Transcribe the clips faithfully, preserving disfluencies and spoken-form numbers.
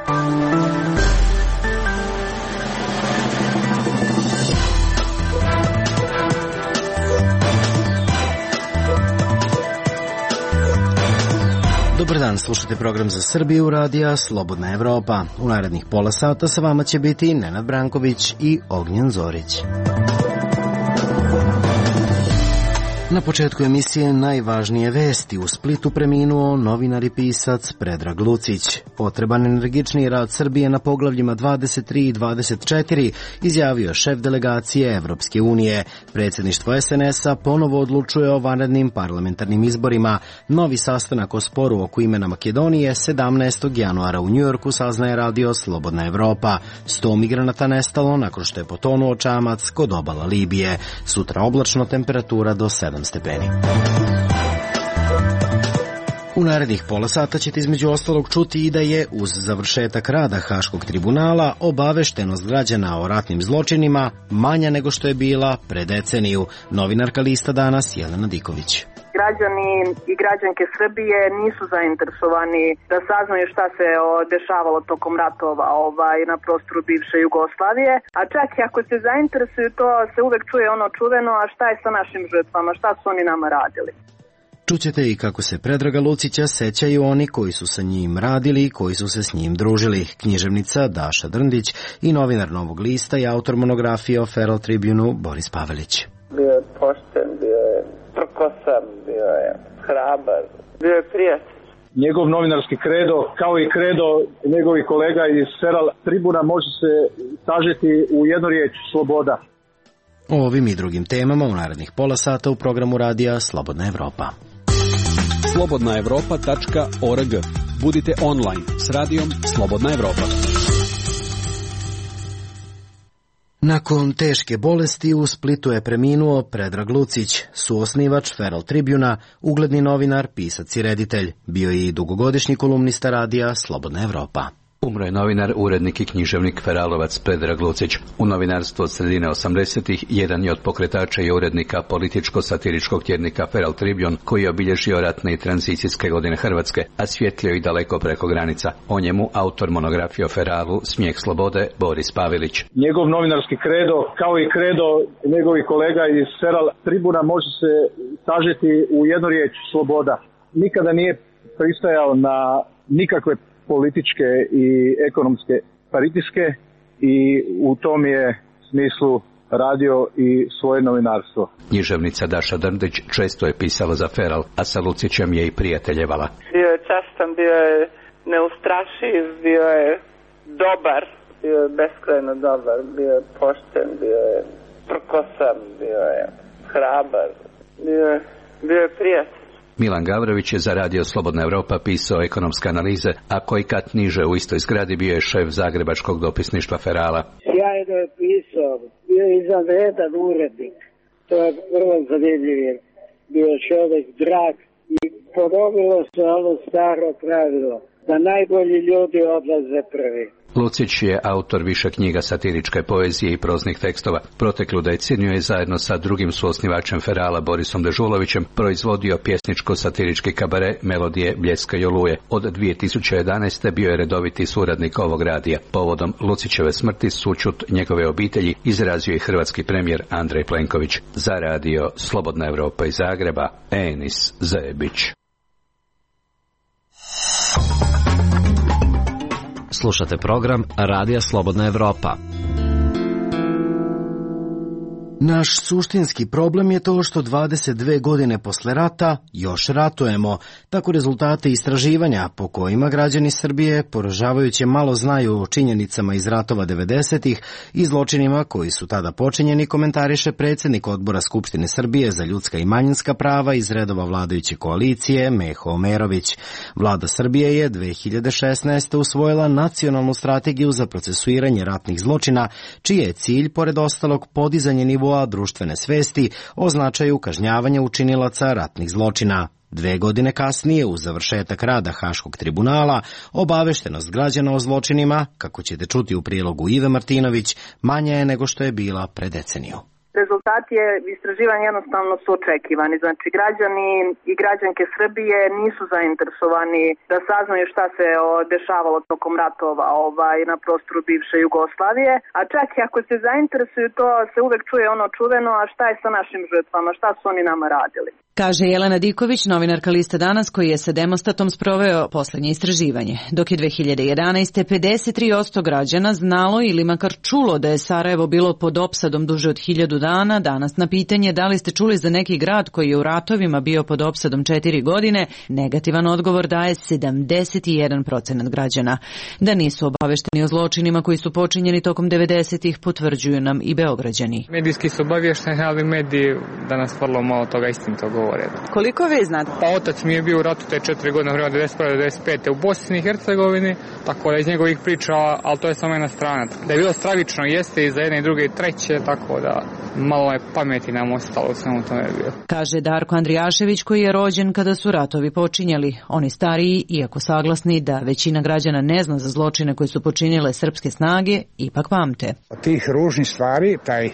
Dobar dan, slušate program za Srbiju, radija Slobodna Evropa. U narednih pola sata sa vama će biti Nenad Branković i Ognjen Zorić. Na početku emisije najvažnije vesti. U Splitu preminuo novinar i pisac Predrag Lucić. Potreban energičniji rad Srbije na poglavljima dvadeset tri i dvadeset četiri, izjavio šef delegacije Evropske unije. Predsjedništvo es en es a ponovo odlučuje o vanrednim parlamentarnim izborima. Novi sastanak o sporu oko imena Makedonije sedamnaestog januara u Njujorku, saznaje radio Slobodna Evropa. Sto migranata nestalo nakon što je potonuo čamac kod obala Libije. Sutra oblačno, temperatura do sedam stepeni. U narednih pola sata ćete između ostalog čuti i da je uz završetak rada Haškog tribunala obaveštenost građana o ratnim zločinima manja nego što je bila pre deceniju. Novinarka Lista Danas Jelena Diković. Građani i građanke Srbije nisu zainteresovani da saznaju šta se dešavalo tokom ratova ovaj, na prostoru bivše Jugoslavije, a čak i ako se zainteresuju, to se uvek čuje ono čuveno, a šta je sa našim žrtvama, šta su oni nama radili. Čućete i kako se Predraga Lucića sećaju oni koji su sa njim radili i koji su se s njim družili. Književnica Daša Drndić i novinar Novog lista i autor monografije o Feral Tribunu Boris Pavelić. Bio je pošten, bio je prkosan, bio je hrabar, bio je prijatelj. Njegov novinarski kredo, kao i kredo njegovih kolega iz Feral Tribuna, može se sažeti u jednu riječ: sloboda. O ovim i drugim temama u narednih pola sata u programu radija Slobodna Evropa. slobodna evropa tačka org. Budite online s radijom Slobodna Evropa. Nakon teške bolesti u Splitu je preminuo Predrag Lucić, suosnivač Feral Tribuna, ugledni novinar, pisac i reditelj. Bio je i dugogodišnji kolumnista radija Slobodna Evropa. Umro je novinar, urednik i književnik Feralovac Predrag Lucić. U novinarstvu od sredine osamdesetih jedan je od pokretača i urednika političko-satiričkog tjednika Feral Tribune, koji je obilježio ratne i tranzicijske godine Hrvatske, a svjetlio i daleko preko granica. O njemu autor monografije o Feralu Smijeh slobode Boris Pavelić. Njegov novinarski kredo, kao i kredo njegovih kolega iz Feral Tribuna, može se sažeti u jednu riječ: sloboda. Nikada nije pristajao na nikakve političke i ekonomske pritiske i u tom je smislu radio i svoje novinarstvo. Književnica Daša Drndić često je pisala za Feral, a sa Lucićem je i prijateljevala. Bio je častan, bio je neustrašiv, bio je dobar, bio je beskrajno dobar, bio je pošten, bio je prkosan, bio je hrabar, bio je, bio je prijatelj. Milan Gavrović je za radio Slobodna Evropa pisao ekonomske analize, a koji kat niže u istoj zgradi bio je šef zagrebačkog dopisništva Ferala. Sjajno je pisao, bio je izvanredan urednik, to je vrlo zanimljivo, bio je čovjek drag i ponovilo se ono staro pravilo, da najbolji ljudi odlaze prvi. Lucić je autor više knjiga satiričke poezije i proznih tekstova. Proteklu deceniju je zajedno sa drugim suosnivačem Ferala Borisom Dežulovićem proizvodio pjesničko-satirički kabare Melodije, Bljeska i Oluje. Od dvije tisuće jedanaeste bio je redoviti suradnik ovog radija. Povodom Lucićeve smrti sućut njegove obitelji izrazio je hrvatski premijer Andrej Plenković. Za radio Slobodna Evropa iz Zagreba, Enis Zebić. Slušate program Radija Slobodna Evropa. Naš suštinski problem je to što dvadeset dve godine posle rata još ratujemo. Tako rezultate istraživanja po kojima građani Srbije poražavajuće malo znaju o činjenicama iz ratova devedesetih i zločinima koji su tada počinjeni, komentariše predsjednik Odbora Skupštine Srbije za ljudska i manjinska prava iz redova vladajuće koalicije Meho Omerović. Vlada Srbije je dve hiljade šesnaeste. usvojila nacionalnu strategiju za procesuiranje ratnih zločina, čiji je cilj, pored ostalog, podizanje nivoa društvene svesti o značaju kažnjavanja učinilaca ratnih zločina. Dve godine kasnije, uz završetak rada Haškog tribunala, obaveštenost građana o zločinima, kako ćete čuti u prilogu Ive Martinović, manja je nego što je bila pre deceniju. rezultati je istraživanja jednostavno su očekivani. Znači, građani i građanke Srbije nisu zainteresovani da saznaju šta se dešavalo tokom ratova ovaj, na prostoru bivše Jugoslavije, a čak i ako se zainteresuju, to se uvek čuje ono čuveno, a šta je sa našim žrtvama, šta su oni nama radili. Kaže Jelena Diković, novinarka Liste Danas, koji je sa Demostatom sproveo poslednje istraživanje. Dok je dve hiljade jedanaeste. pedeset tri posto građana znalo ili makar čulo da je Sarajevo bilo pod opsadom duže od hiljadu dana, danas na pitanje da li ste čuli za neki grad koji je u ratovima bio pod opsadom četiri godine, negativan odgovor daje sedamdeset jedan procenat građana. Da nisu obavešteni o zločinima koji su počinjeni tokom devedesetih potvrđuju nam i Beograđani. Medijski su obavešteni, ali mediji danas vrlo malo toga istinito govore. Koliko vi znate? Pa otac mi je bio u ratu te četiri godine, u devedeset prve do devedeset pete u Bosni i Hercegovini, tako da iz njegovih priča, ali to je samo jedna strana. Da je bilo stravično, jeste i za jedne i druge i treće, tako da malo je pameti nam ostalo u svemu tome bio. Kaže Darko Andrijašević, koji je rođen kada su ratovi počinjali. Oni stariji, iako saglasni da većina građana ne zna za zločine koje su počinile srpske snage, ipak pamte. Od tih ružnih stvari, taj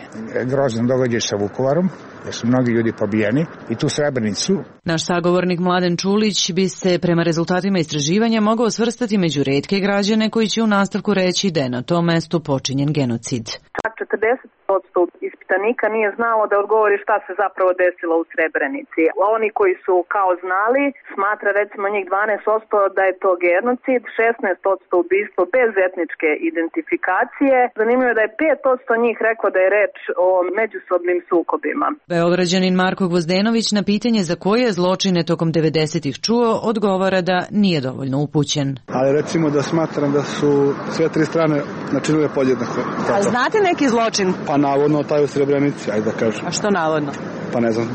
grozan događaj sa Vukovarom, jer su mnogi ljudi pobijeni, i tu Srebrenicu. Naš sagovornik Mladen Čulić bi se prema rezultatima istraživanja mogao svrstati među retke građane koji će u nastavku reći da je na tom mestu počinjen genocid. Čak četrdeset posto ispitanika nije znalo da odgovori šta se zapravo desilo u Srebrenici. Oni koji su kao znali, smatra recimo njih dvanaest posto da je to genocid, šesnaest posto ubistvo bez etničke identifikacije. Zanimljivo je da je pet posto njih reklo da je reč o međusobnim sukobima. Beograđanin Marko Gvozdenović na pitanje za koje zločine tokom devedesetih čuo odgovara da nije dovoljno upućen. Ali recimo da smatram da su sve tri strane načinile podjednako. A znate neki zločin? Pa navodno taj u Srebrenici, ajde da kažem. A što navodno? Pa ne znam,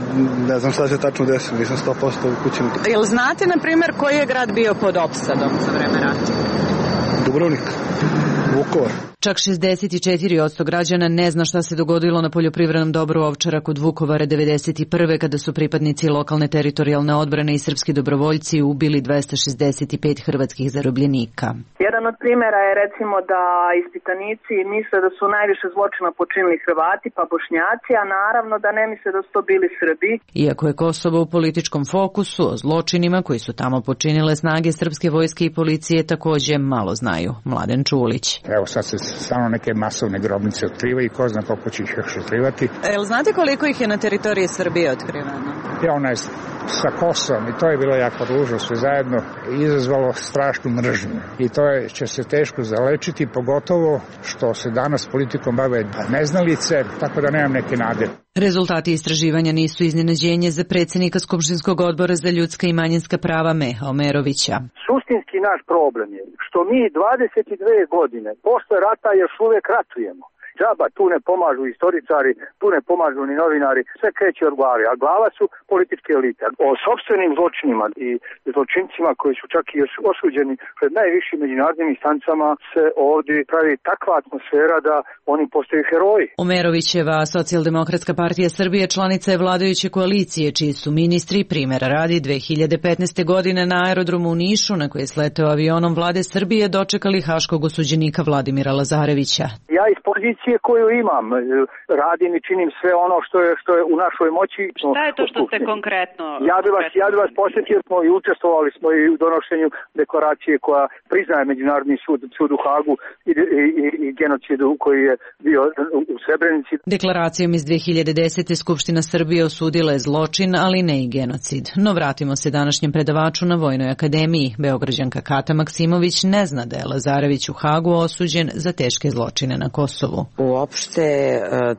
ne znam šta se tačno desilo, nisam sto posto upućen. Jel znate, na primjer, koji je grad bio pod opsadom za vreme rata? Dubrovnik, Vukovar. Čak šezdeset četiri posto građana ne zna šta se dogodilo na poljoprivrednom dobru Ovčara kod Vukovara devedeset prve. kada su pripadnici lokalne teritorijalne odbrane i srpski dobrovoljci ubili dvesta šezdeset pet hrvatskih zarobljenika. Jedan od primjera je recimo da ispitanici misle da su najviše zločina počinili Hrvati pa Bošnjaci, a naravno da ne misle da su to bili Srbi. Iako je Kosovo u političkom fokusu, o zločinima koji su tamo počinile snage srpske vojske i policije takođe malo znaju. Mladen Čulić. Evo sad se stvarno neke masovne grobnice otkrivaju i ko zna koliko će ih još otkrivati. Jel znate koliko ih je na teritoriji Srbije otkriveno? Ja, ona je sa Kosovom i to je bilo jako ružno sve zajedno i izazvalo strašnu mržnju. I to je, će se teško zalečiti, pogotovo što se danas politikom bave neznalice, tako da nemam neke nade. Rezultati istraživanja nisu iznenađenje za predsjednika Skupštinskog odbora za ljudska i manjinska prava Meha Omerovića. Suštinski naš problem je što mi dvadeset dve godine posle rata još uvek ratujemo. Džaba, tu ne pomažu istoričari, tu ne pomažu ni novinari, sve kreće od glave, a glava su političke elite. O sopstvenim zločinima i zločincima koji su čak i osuđeni pred najvišim međunarodnim instancama se ovdje pravi takva atmosfera da oni postaju heroji. Omerovićeva Socijaldemokratska partija Srbije članica je vladajuće koalicije, čiji su ministri, primjera radi, dve hiljade petnaeste. godine na aerodromu u Nišu, na koji je sleteo avionom vlade Srbije, dočekali haškog osuđenika Vladimira Lazarevića. Ja iz pozicije koju imam, radim i činim sve ono što je što je u našoj moći. Šta je to što ste konkretno? Ja bih vas, ja bih vas posjetio smo i učestvovali smo i u donošenju deklaracije koja priznaje Međunarodni sud, sud u Hagu i, i, i genocidu koji je bio u Srebrenici. Deklaracijom iz dve hiljade desete. Skupština Srbije osudila je zločin, ali ne i genocid. No vratimo se današnjem predavaču na Vojnoj akademiji. Beograđanka Kata Maksimović ne zna da je Lazarević u Hagu osuđen za teške zločine na Kosovu. Uopšte,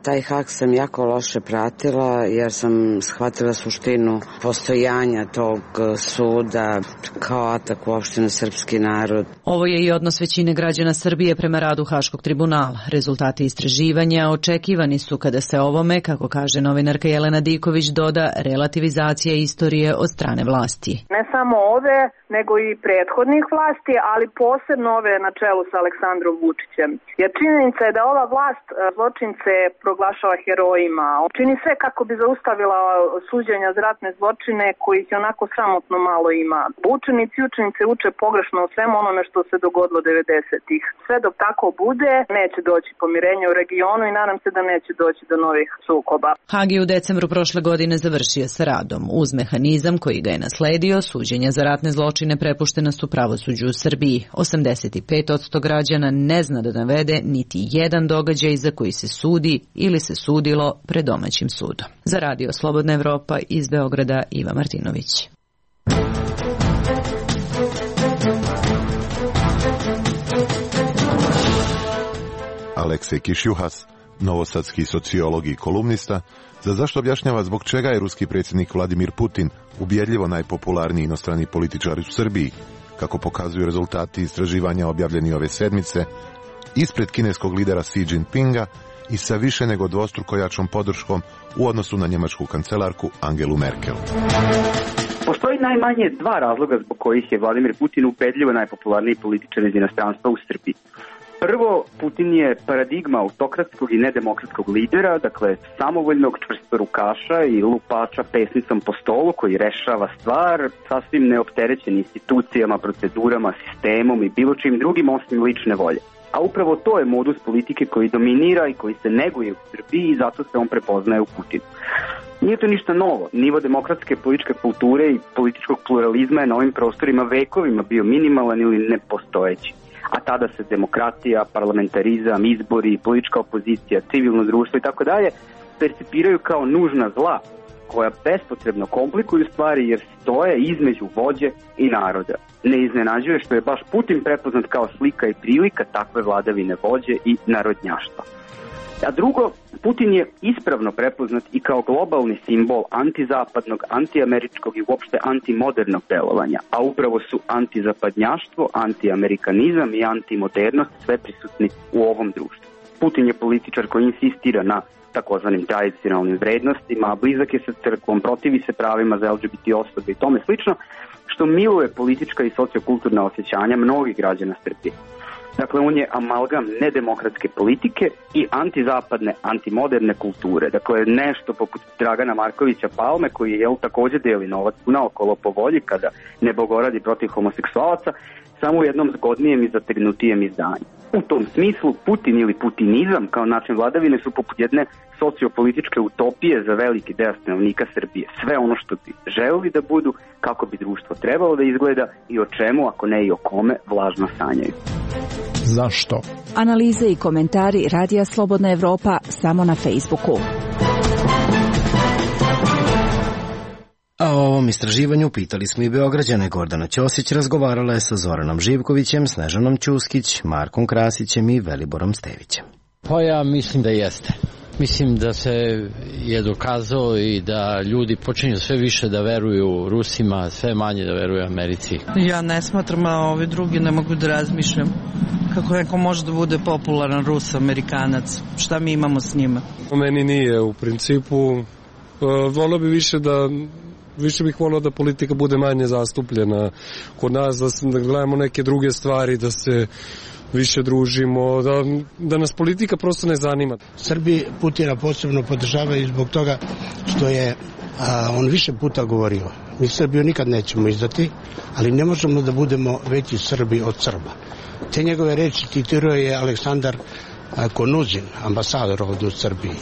taj Hag sam jako loše pratila jer sam shvatila suštinu postojanja tog suda kao atak uopšte na srpski narod. Ovo je i odnos većine građana Srbije prema radu Haškog tribunala. Rezultati istraživanja očekivani su kada se ovome, kako kaže novinarka Jelena Diković, doda relativizacija istorije od strane vlasti. Ne samo ove, nego i prethodnih vlasti, ali posebno ove na čelu sa Aleksandrom Vučićem. Jer činjenica je da ova vlast vlast zločince proglašava herojima. Čini sve kako bi zaustavila suđenja za ratne zločine kojih je onako sramotno malo ima. Učenici i učenice uče pogrešno o svemu onome što se dogodilo devedesetih. Sve dok tako bude, neće doći pomirenje u regionu i nadam se da neće doći do novih sukoba. Hag je u decembru prošle godine završio sa radom. Uz mehanizam koji ga je nasledio, suđenja za ratne zločine prepuštena su pravosuđu u Srbiji. osamdeset pet posto građana ne zna da navede niti jedan događaj za koji se sudi ili se sudilo pred domaćim sudom. Za Radio Slobodna Evropa iz Beograda Iva Martinović. Aleksej Kišjuhas, novosadski sociolog i kolumnista, za zašto objašnjava zbog čega je ruski predsjednik Vladimir Putin ubjedljivo najpopularniji inostrani političar u Srbiji, kako pokazuju rezultati istraživanja objavljeni ove sedmice, ispred kineskog lidera Xi Jinpinga i sa više nego dvostruko jačom podrškom u odnosu na njemačku kancelarku Angelu Merkel. Postoji najmanje dva razloga zbog kojih je Vladimir Putin ubedljivo najpopularniji političar iz inostranstva u Srbiji. Prvo, Putin je paradigma autokratskog i nedemokratskog lidera, dakle samovoljnog čvrstorukaša i lupača pesnicom po stolu koji rešava stvar, sasvim neopterećen institucijama, procedurama, sistemom i bilo čim drugim osim lične volje. A upravo to je modus politike koji dominira i koji se neguje u Srbiji i zato se on prepoznaje u Putinu. Nije to ništa novo. Nivo demokratske političke kulture i političkog pluralizma je na ovim prostorima vekovima bio minimalan ili nepostojeći. A tada se demokratija, parlamentarizam, izbori, politička opozicija, civilno društvo i tako dalje percipiraju kao nužna zla koja bespotrebno komplikuju stvari jer stoje između vođe i naroda. Ne iznenađuje što je baš Putin prepoznat kao slika i prilika takve vladavine vođe i narodnjaštva. A drugo, Putin je ispravno prepoznat i kao globalni simbol antizapadnog, antiameričkog i uopšte antimodernog delovanja, a upravo su antizapadnjaštvo, antiamerikanizam i antimodernost sve prisutni u ovom društvu. Putin je političar koji insistira na takozvanim tradicionalnim vrednostima, a blizak je sa crkvom, protivi se pravima za L G B T osobe i tome slično, što miluje politička i sociokulturna osjećanja mnogih građana Srbije. Dakle, on je amalgam nedemokratske politike i antizapadne, antimoderne kulture. Dakle, nešto poput Dragana Markovića Palme, koji je također deli novac naokolo po volji kada ne bogoradi protiv homoseksualaca, samo u jednom zgodnijem i zatrnutijem izdanju. U tom smislu, Putin ili putinizam kao način vladavine su poput jedne sociopolitičke utopije za veliki deo stanovnika Srbije. Sve ono što bi želeli da budu, kako bi društvo trebalo da izgleda i o čemu, ako ne i o kome, vlažno sanjaju. Zašto? Analize i komentari Radija Slobodna Evropa samo na Facebooku. A o ovom istraživanju pitali smo i Beograđane. Gordana Ćosić razgovarala je sa Zoranom Živkovićem, Snežanom Ćuskić, Markom Krasićem i Veliborom Stevićem. Pa ja mislim da jeste. Mislim da se je dokazao i da ljudi počinju sve više da veruju Rusima, sve manje da veruju Americi. Ja ne smatram, a ovi drugi ne mogu da razmišljam. Kako neko može da bude popularan Rus, Amerikanac? Šta mi imamo s njima? Meni nije u principu. Volio bi više da više bih volio da politika bude manje zastupljena kod nas, da, da gledamo neke druge stvari, da se više družimo, da, da nas politika prosto ne zanima. Srbi Putina posebno podržavaju zbog toga što je a, on više puta govorio. Mi Srbiju nikad nećemo izdati, ali ne možemo da budemo veći Srbi od Srba. Te njegove reči citirao je Aleksandar a, Konuzin, ambasador ovdje u Srbiji.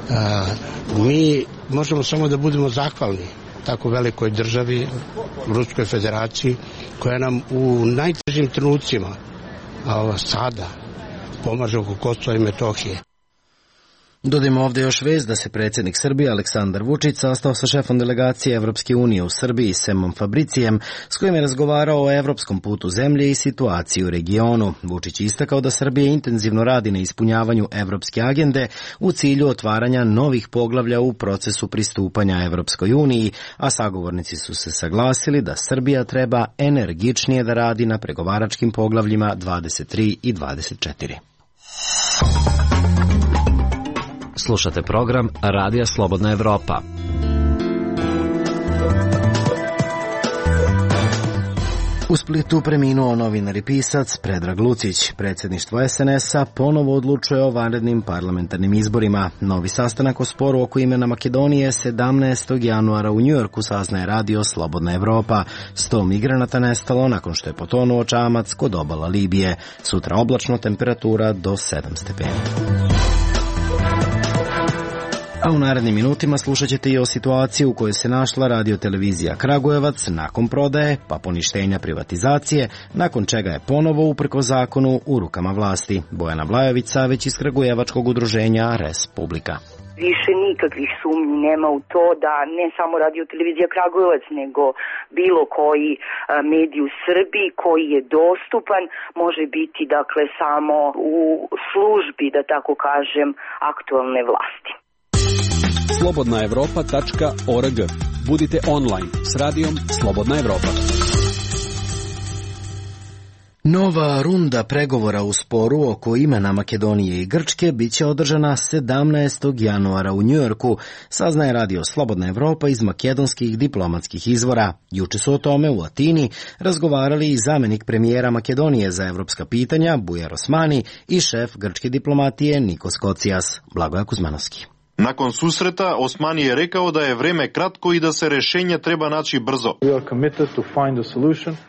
A, mi možemo samo da budemo zahvalni tako velikoj državi, Ruskoj federaciji, koja nam u najtežim trenucima a sada pomaže oko Kosova i Metohije. Dodajmo ovdje još vez da se predsjednik Srbije Aleksandar Vučić sastao sa šefom delegacije Evropske unije u Srbiji Semom Fabricijem, s kojim je razgovarao o evropskom putu zemlje i situaciji u regionu. Vučić je istakao da Srbija intenzivno radi na ispunjavanju evropske agende u cilju otvaranja novih poglavlja u procesu pristupanja Evropskoj uniji, a sagovornici su se saglasili da Srbija treba energičnije da radi na pregovaračkim poglavljima dvadeset tri i dvadeset četiri. Slušate program Radija Slobodna Evropa. U Splitu preminuo novinar i pisac Predrag Lucić. Predsjedništvo es en es a ponovo odlučuje o vanrednim parlamentarnim izborima. Novi sastanak o sporu oko imena Makedonije sedamnaestog januara u Njujorku, saznaje radio Slobodna Evropa. Sto migranata nestalo nakon što je potonuo čamac kod obala Libije. Sutra oblačno, temperatura do sedam stepeni. A u narednim minutima slušat ćete i o situaciji u kojoj se našla radiotelevizija Kragujevac nakon prodaje, pa poništenja privatizacije, nakon čega je ponovo uprko zakonu u rukama vlasti. Bojana Blajević, Saveć iz Kragujevačkog udruženja Respublika. Više nikakvih sumnji nema u to da ne samo radiotelevizija Kragujevac, nego bilo koji medij u Srbiji koji je dostupan može biti dakle samo u službi, da tako kažem, aktualne vlasti. slobodna evropa tačka org. Budite online s radijom Slobodna Evropa. Nova runda pregovora u sporu oko imena Makedonije i Grčke biće održana sedamnaestog januara u Njujorku, saznaje radio Slobodna Evropa iz makedonskih diplomatskih izvora. Juče su o tome u Atini razgovarali i zamenik premijera Makedonije za evropska pitanja Bujar Osmani i šef grčke diplomatije Nikos Kocijas. Blagoja Kuzmanovski. Nakon susreta, Osmani je rekao da je vreme kratko i da se rešenje treba naći brzo.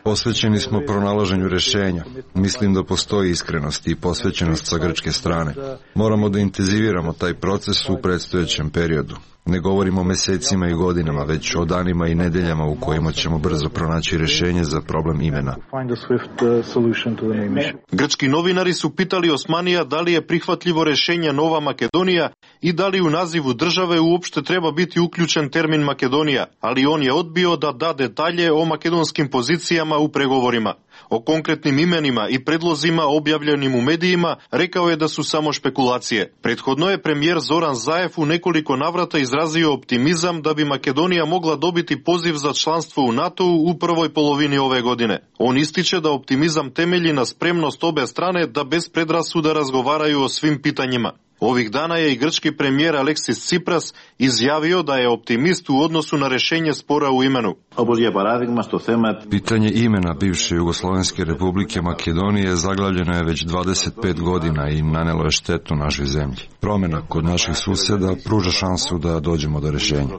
Posvećeni smo pronalaženju rešenja. Mislim da postoji iskrenost i posvećenost sa grčke strane. Moramo da intenziviramo taj proces u predstojećem periodu. Ne govorimo o mesecima i godinama, već o danima i nedeljama u kojima ćemo brzo pronaći rešenje za problem imena. Grčki novinari su pitali Osmanija da li je prihvatljivo rešenje Nova Makedonija i da li u nazivu države uopšte treba biti uključen termin Makedonija, ali on je odbio da da detalje o makedonskim pozicijama u pregovorima. O konkretnim imenima i predlozima objavljenim u medijima rekao je da su samo špekulacije. Prethodno je premijer Zoran Zaev u nekoliko navrata izrazio optimizam da bi Makedonija mogla dobiti poziv za članstvo u NATO-u u prvoj polovini ove godine. On ističe da optimizam temelji na spremnost obe strane da bez predrasuda razgovaraju o svim pitanjima. Ovih dana je i grčki premijer Aleksis Tsipras izjavio da je optimist u odnosu na rešenje spora u imenu. Pitanje imena bivše Jugoslovenske republike Makedonije zaglavljeno je već dvadeset pet godina i nanelo je štetu našoj zemlji. Promjena kod naših suseda pruža šansu da dođemo do rešenja.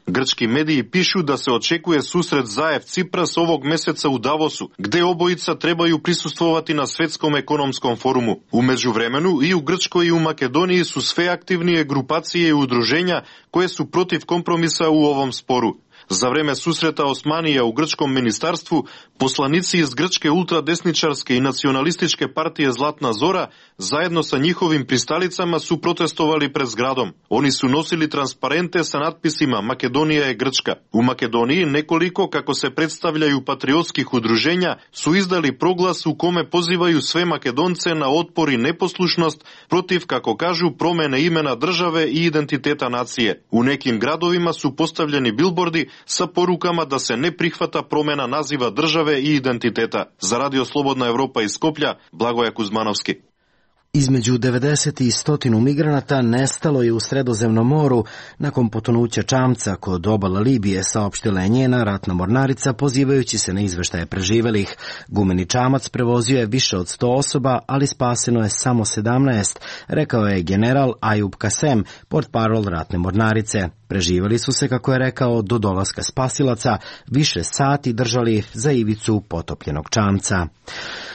Grčki mediji pišu da se očekuje susret Zaev-Tsipras ovog meseca u Davosu, gde obojica trebaju prisustvovati na Svetskom ekonomskom forumu. U međuvremenu i u Grčkoj i u Makedoniji su sve aktivnije grupacije i udruženja koje su protiv kompromisa u ovom sporu. Za vreme susreta Osmanija u grčkom ministarstvu, poslanici iz grčke ultradesničarske i nacionalističke partije Zlatna Zora zajedno sa njihovim pristalicama su protestovali pred zgradom. Oni su nosili transparente sa natpisima Makedonija je Grčka. U Makedoniji nekoliko, kako se predstavljaju, patriotskih udruženja su izdali proglas u kome pozivaju sve Makedonce na otpor i neposlušnost protiv, kako kažu, promene imena države i identiteta nacije. U nekim gradovima su postavljeni bilbordi sa porukama da se ne prihvata promjena naziva države i identiteta. Za radio Slobodna Evropa iz Skoplja, Blagoja Kuzmanovski. Između devedeset i sto migranata nestalo je u Sredozemnom moru nakon potonuća čamca kod obala Libije, saopštila je njena ratna mornarica pozivajući se na izveštaje preživelih. Gumeni čamac prevozio je više od sto osoba, ali spaseno je samo sedamnaest, rekao je general Ajub Kasem, portparol ratne mornarice. Preživeli su se, kako je rekao, do dolaska spasilaca, više sati držali za ivicu potopljenog čamca.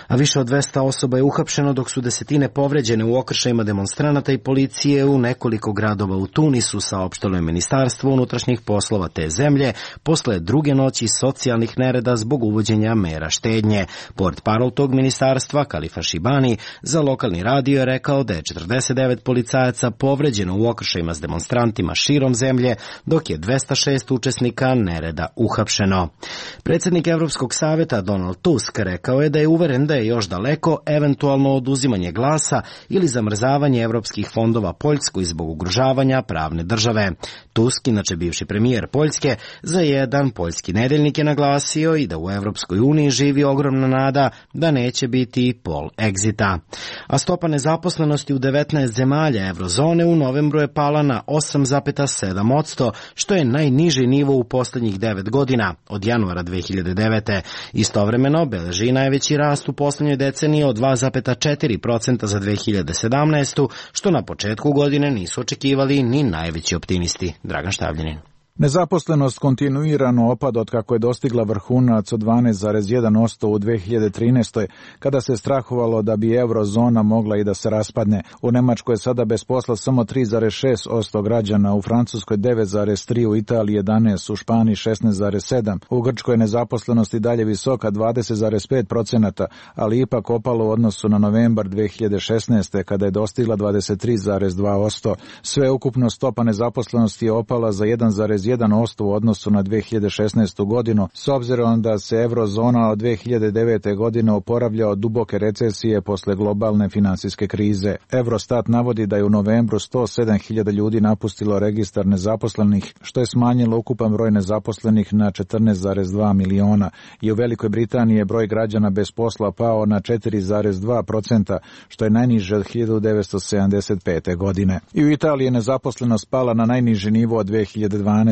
A više od dvesta osoba je uhapšeno, dok su desetine povređene u okršajima demonstranata i policije u nekoliko gradova u Tunisu, saopštilo je Ministarstvo unutrašnjih poslova te zemlje posle druge noći socijalnih nereda zbog uvođenja mera štednje. Portparol tog ministarstva, Kalifa Šibani, za lokalni radio je rekao da je četrdeset devet policajaca povređeno u okršajima s demonstrantima širom zemlje, dok je dvesta šest učesnika nereda uhapšeno. Predsjednik Evropskog savjeta Donald Tusk rekao je da je uveren da je još daleko eventualno oduzimanje glasa ili zamrzavanje evropskih fondova Poljskoj zbog ugrožavanja pravne države. Tusk, inače bivši premijer Poljske, za jedan poljski nedeljnik je naglasio i da u Evropskoj uniji živi ogromna nada da neće biti pol egzita. A stopa nezaposlenosti u devetnaest zemalja eurozone u novembru je pala na osam zarez sedam posto, što je najniži nivo u poslednjih devet godina, od januara dve hiljade devete. Istovremeno beleži najveći rast u poslednjoj deceniji od dva zarez četiri posto za dve hiljade sedamnaestu. što na početku godine nisu očekivali ni najveći optimisti. Dragan Štavljanin. Nezaposlenost kontinuirano opada od kako je dostigla vrhunac od dvanaest zarez jedan posto u dve hiljade trinaestoj. kada se strahovalo da bi eurozona mogla i da se raspadne. U Nemačkoj je sada bez posla samo tri zarez šest posto građana, u Francuskoj devet zarez tri posto, u Italiji jedanaest posto, u Španiji šesnaest zarez sedam posto. U Grčkoj je nezaposlenost i dalje visoka dvadeset zarez pet posto, ali ipak opalo u odnosu na novembar dve hiljade šesnaeste. kada je dostigla dvadeset tri zarez dva posto. Sve ukupno stopa nezaposlenosti je opala za jedan zarez jedan posto u odnosu na dve hiljade šesnaestu. godinu, s obzirom da se eurozona od dve hiljade devete. godine oporavlja od duboke recesije posle globalne finansijske krize. Eurostat navodi da je u novembru sto sedam hiljada ljudi napustilo registar nezaposlenih, što je smanjilo ukupan broj nezaposlenih na četrnaest zarez dva miliona. I u Velikoj Britaniji je broj građana bez posla pao na četiri zarez dva posto, što je najniže od hiljadu devetsto sedamdeset pete. godine. I u Italiji je nezaposlenost pala na najniži nivo od dve hiljade dvanaeste.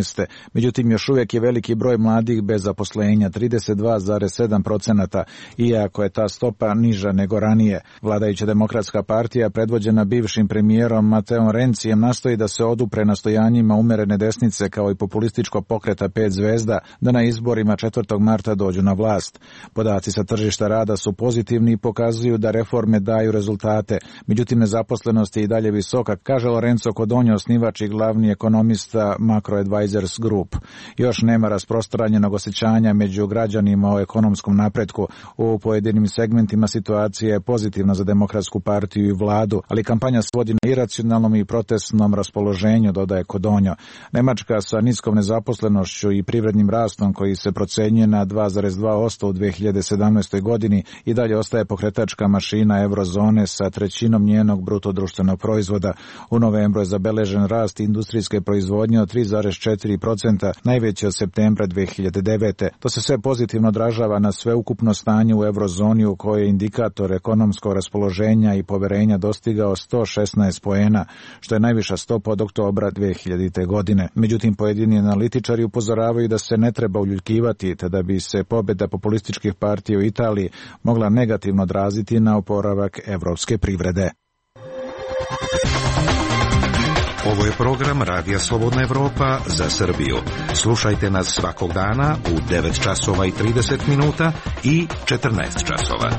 Međutim, još uvijek je veliki broj mladih bez zaposlenja, trideset dva zarez sedam posto, iako je ta stopa niža nego ranije. Vladajuća Demokratska partija, predvođena bivšim premijerom Mateom Rencijem, nastoji da se odupre nastojanjima umerene desnice kao i populističkog pokreta pet zvezda da na izborima četvrtog marta dođu na vlast. Podaci sa tržišta rada su pozitivni i pokazuju da reforme daju rezultate. Međutim, nezaposlenost je i dalje visoka, kaže Lorenzo Codogno, osnivač i glavni ekonomista Macro Advisors Group. Još nema rasprostranjenog osjećanja među građanima o ekonomskom napretku. U pojedinim segmentima situacija je pozitivna za Demokratsku partiju i vladu, ali kampanja svodi na iracionalnom i protestnom raspoloženju, dodaje Codogno. Nemačka sa niskom nezaposlenošću i privrednim rastom koji se procenjuje na dva zarez dva posto u dve hiljade sedamnaestoj. godini i dalje ostaje pokretačka mašina eurozone sa trećinom njenog bruto društvenog proizvoda. U novembru je zabeležen rast industrijske proizvodnje od tri zarez četiri posto, najveći od septembra dve hiljade devete. To se sve pozitivno odražava na sveukupno stanje u eurozoni u kojoj je indikator ekonomskog raspoloženja i poverenja dostigao sto šesnaest poena, što je najviša stopa od oktobra dve hiljadite. godine. Međutim, pojedini analitičari upozoravaju da se ne treba uljuljkivati, te da bi se pobjeda populističkih partija u Italiji mogla negativno odraziti na oporavak evropske privrede. Ovo je program Radija Slobodna Evropa za Srbiju. Slušajte nas svakog dana u devet časova i trideset minuta i četrnaest časova.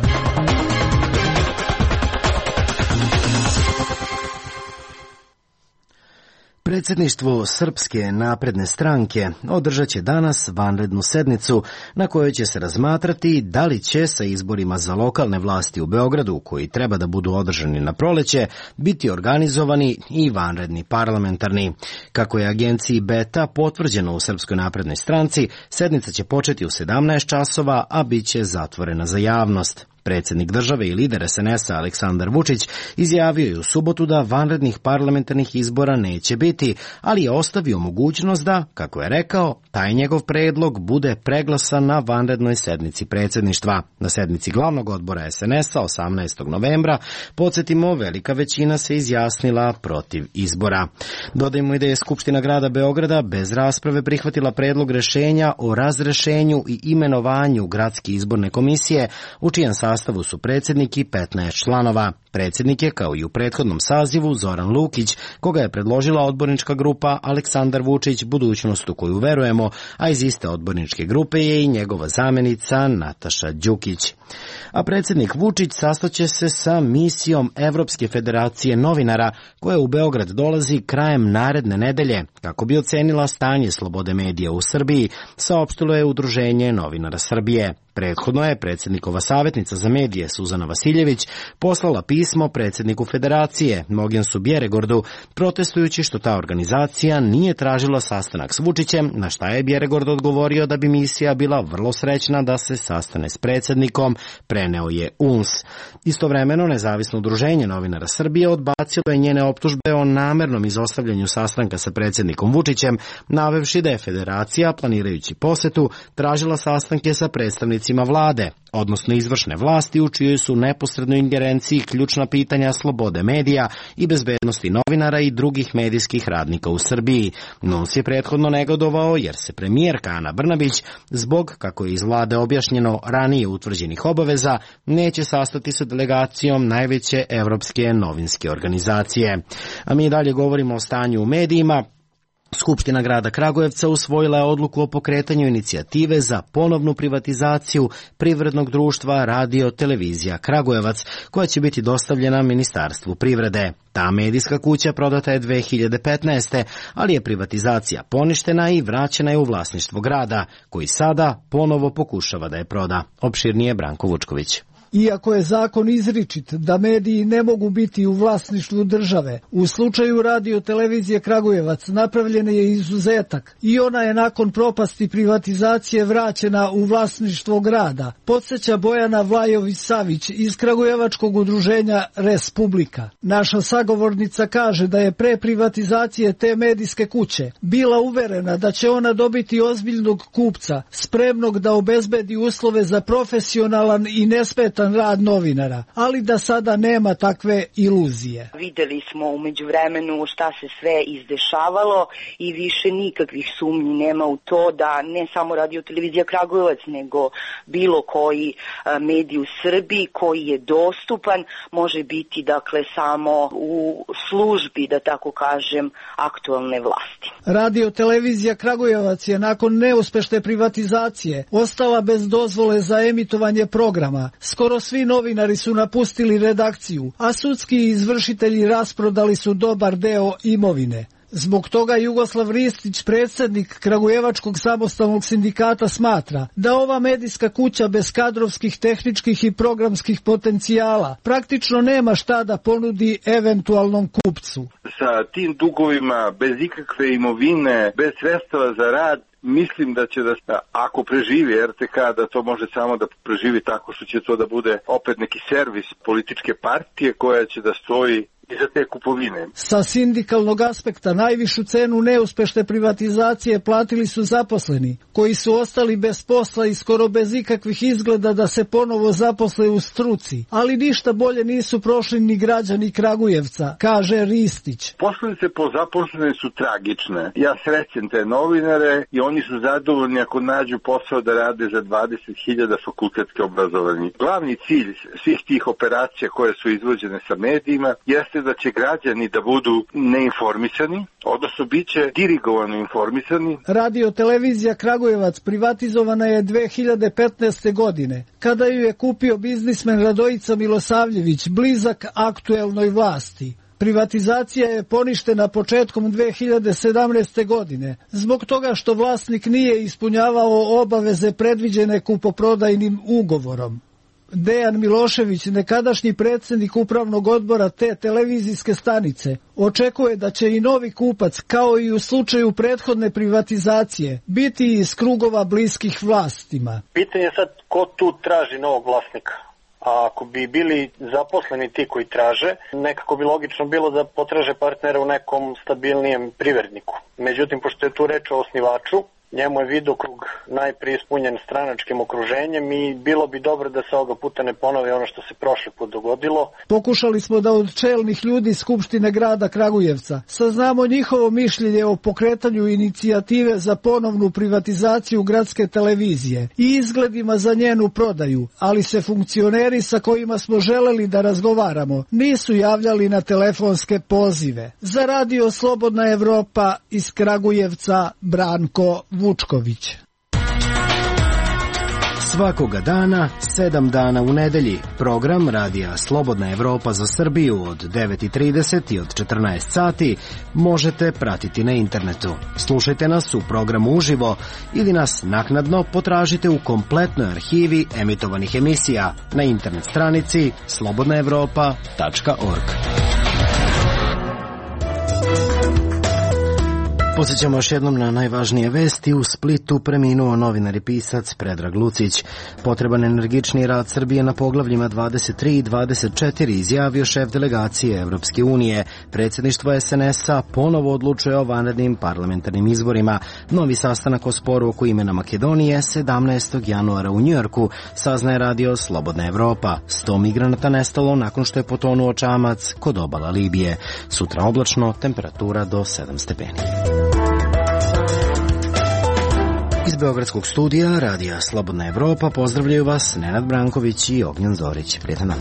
Predsjedništvo Srpske napredne stranke održat će danas vanrednu sednicu na kojoj će se razmatrati da li će sa izborima za lokalne vlasti u Beogradu, koji treba da budu održani na proleće, biti organizovani i vanredni parlamentarni. Kako je agenciji Beta potvrđeno u Srpskoj naprednoj stranci, sednica će početi u sedamnaest časova, a bit će zatvorena za javnost. Predsjednik države i lider es en es a Aleksandar Vučić izjavio je u subotu da vanrednih parlamentarnih izbora neće biti, ali je ostavio mogućnost da, kako je rekao, taj njegov predlog bude preglasan na vanrednoj sednici predsjedništva. Na sednici glavnog odbora es en es a osamnaestog novembra, podsjetimo, velika većina se izjasnila protiv izbora. Dodajmo i da je Skupština grada Beograda bez rasprave prihvatila predlog rešenja o razrešenju i imenovanju gradske izborne komisije, u čijem sastavu su predsjednik i petnaest članova. Predsjednik je, kao i u prethodnom sazivu, Zoran Lukić, koga je predložila odbornička grupa Aleksandar Vučić, budućnost u koju verujemo, a iz iste odborničke grupe je i njegova zamjenica Nataša Đukić. A predsjednik Vučić sastaće se sa misijom Evropske federacije novinara, koja u Beograd dolazi krajem naredne nedelje, kako bi ocenila stanje slobode medija u Srbiji, saopštilo je Udruženje novinara Srbije. Prethodno je predsjednikova savjetnica za medije Suzana Vasiljević poslala pismo pismo predsjedniku Federacije, Mogensu Bjeregordu, protestujući što ta organizacija nije tražila sastanak s Vučićem, na šta je Bjeregord odgovorio da bi misija bila vrlo srećna da se sastane s predsjednikom, preneo je U N S. Istovremeno, Nezavisno udruženje novinara Srbije odbacilo je njene optužbe o namernom izostavljanju sastanka sa predsjednikom Vučićem, navevši da je Federacija, planirajući posetu, tražila sastanke sa predstavnicima vlade, odnosno izvršne vlasti u čijoj su neposrednoj ingerenciji ključna pitanja slobode medija i bezbednosti novinara i drugih medijskih radnika u Srbiji. N U N S je prethodno negodovao jer se premijerka Ana Brnabić, zbog, kako je iz vlade objašnjeno, ranije utvrđenih obaveza, neće sastati sa delegacijom najveće evropske novinske organizacije. A mi dalje govorimo o stanju u medijima. Skupština grada Kragujevca usvojila je odluku o pokretanju inicijative za ponovnu privatizaciju privrednog društva Radio Televizija Kragujevac, koja će biti dostavljena Ministarstvu privrede. Ta medijska kuća prodata je dve hiljade petnaeste. ali je privatizacija poništena i vraćena je u vlasništvo grada, koji sada ponovo pokušava da je proda. Opširnije Branko Vučković. Iako je zakon izričit da mediji ne mogu biti u vlasništvu države, u slučaju Radio Televizije Kragujevac napravljen je izuzetak i ona je nakon propasti privatizacije vraćena u vlasništvo grada, podsjeća Bojana Vlajović-Savić iz Kragujevačkog udruženja Respublika. Naša sagovornica kaže da je pre privatizacije te medijske kuće bila uverena da će ona dobiti ozbiljnog kupca, spremnog da obezbedi uslove za profesionalan i nesmetan rad novinara, ali da sada nema takve iluzije. Videli smo u međuvremenu šta se sve izdešavalo i više nikakvih sumnji nema u to da ne samo Radio Televizija Kragujevac, nego bilo koji medij u Srbiji koji je dostupan može biti dakle samo u službi, da tako kažem, aktualne vlasti. Radio Televizija Kragujevac je nakon neuspešne privatizacije ostala bez dozvole za emitovanje programa. Skoro svi novinari su napustili redakciju, a sudski izvršitelji rasprodali su dobar deo imovine. Zbog toga Jugoslav Ristić, predsjednik Kragujevačkog samostalnog sindikata, smatra da ova medijska kuća bez kadrovskih, tehničkih i programskih potencijala praktično nema šta da ponudi eventualnom kupcu. Sa tim dugovima, bez ikakve imovine, bez sredstava za rad, mislim da će da, ako preživi R T K, da to može samo da preživi tako što će to da bude opet neki servis političke partije koja će da stoji iza te kupovine. Sa sindikalnog aspekta najvišu cenu neuspešne privatizacije platili su zaposleni, koji su ostali bez posla i skoro bez ikakvih izgleda da se ponovo zaposle u struci, ali ništa bolje nisu prošli ni građani Kragujevca, kaže Ristić. Posledice po zaposlene su tragične. Ja srećem te novinare i oni su zadovoljni ako nađu posao da rade za dvadeset hiljada fakultetske obrazovanje. Glavni cilj svih tih operacija koje su izvođene sa medijima jeste da će građani da budu neinformisani, odnosno bit će dirigovano informisani. Radio Televizija Kragujevac privatizovana je dve hiljade petnaeste. godine, kada ju je kupio biznismen Radojica Milosavljević, blizak aktuelnoj vlasti. Privatizacija je poništena početkom dve hiljade sedamnaeste. godine, zbog toga što vlasnik nije ispunjavao obaveze predviđene kupoprodajnim ugovorom. Dejan Milošević, nekadašnji predsjednik upravnog odbora te televizijske stanice, očekuje da će i novi kupac, kao i u slučaju prethodne privatizacije, biti iz krugova bliskih vlastima. Pitanje je sad ko tu traži novog vlasnika. A ako bi bili zaposleni ti koji traže, nekako bi logično bilo da potraže partnera u nekom stabilnijem privredniku. Međutim, pošto je tu reč o osnivaču, njemu je vidokrug najprije ispunjen stranačkim okruženjem i bilo bi dobro da se ovoga puta ne ponovi ono što se prošli put dogodilo. Pokušali smo da od čelnih ljudi Skupštine grada Kragujevca saznamo njihovo mišljenje o pokretanju inicijative za ponovnu privatizaciju gradske televizije i izgledima za njenu prodaju, ali se funkcioneri sa kojima smo želeli da razgovaramo nisu javljali na telefonske pozive. Za Radio Slobodna Evropa iz Kragujevca, Branko Vučković. Svakoga dana, sedam dana u nedelji, program Radija Slobodna Evropa za Srbiju od devet i trideset i od četrnaest sati možete pratiti na internetu. Slušajte nas u programu uživo ili nas naknadno potražite u kompletnoj arhivi emitovanih emisija na internet stranici slobodna evropa tačka org. Posjećamo još jednom na najvažnije vesti. U Splitu preminuo novinar i pisac Predrag Lucić. Potreban energični rad Srbije na poglavljima dvadeset tri i dvadeset četiri izjavio šef delegacije Evropske unije. Predsjedništvo es en es-a ponovo odlučuje o vanrednim parlamentarnim izborima. Novi sastanak o sporu oko imena Makedonije sedamnaestog januara u Njujorku, saznaje radio Slobodna Evropa. sto migranata nestalo nakon što je potonuo čamac kod obala Libije. Sutra oblačno, temperatura do sedam stepeni. Iz Beogradskog studija Radija Slobodna Evropa pozdravljaju vas Nenad Branković i Ognjan Zorić. Prijetan dan.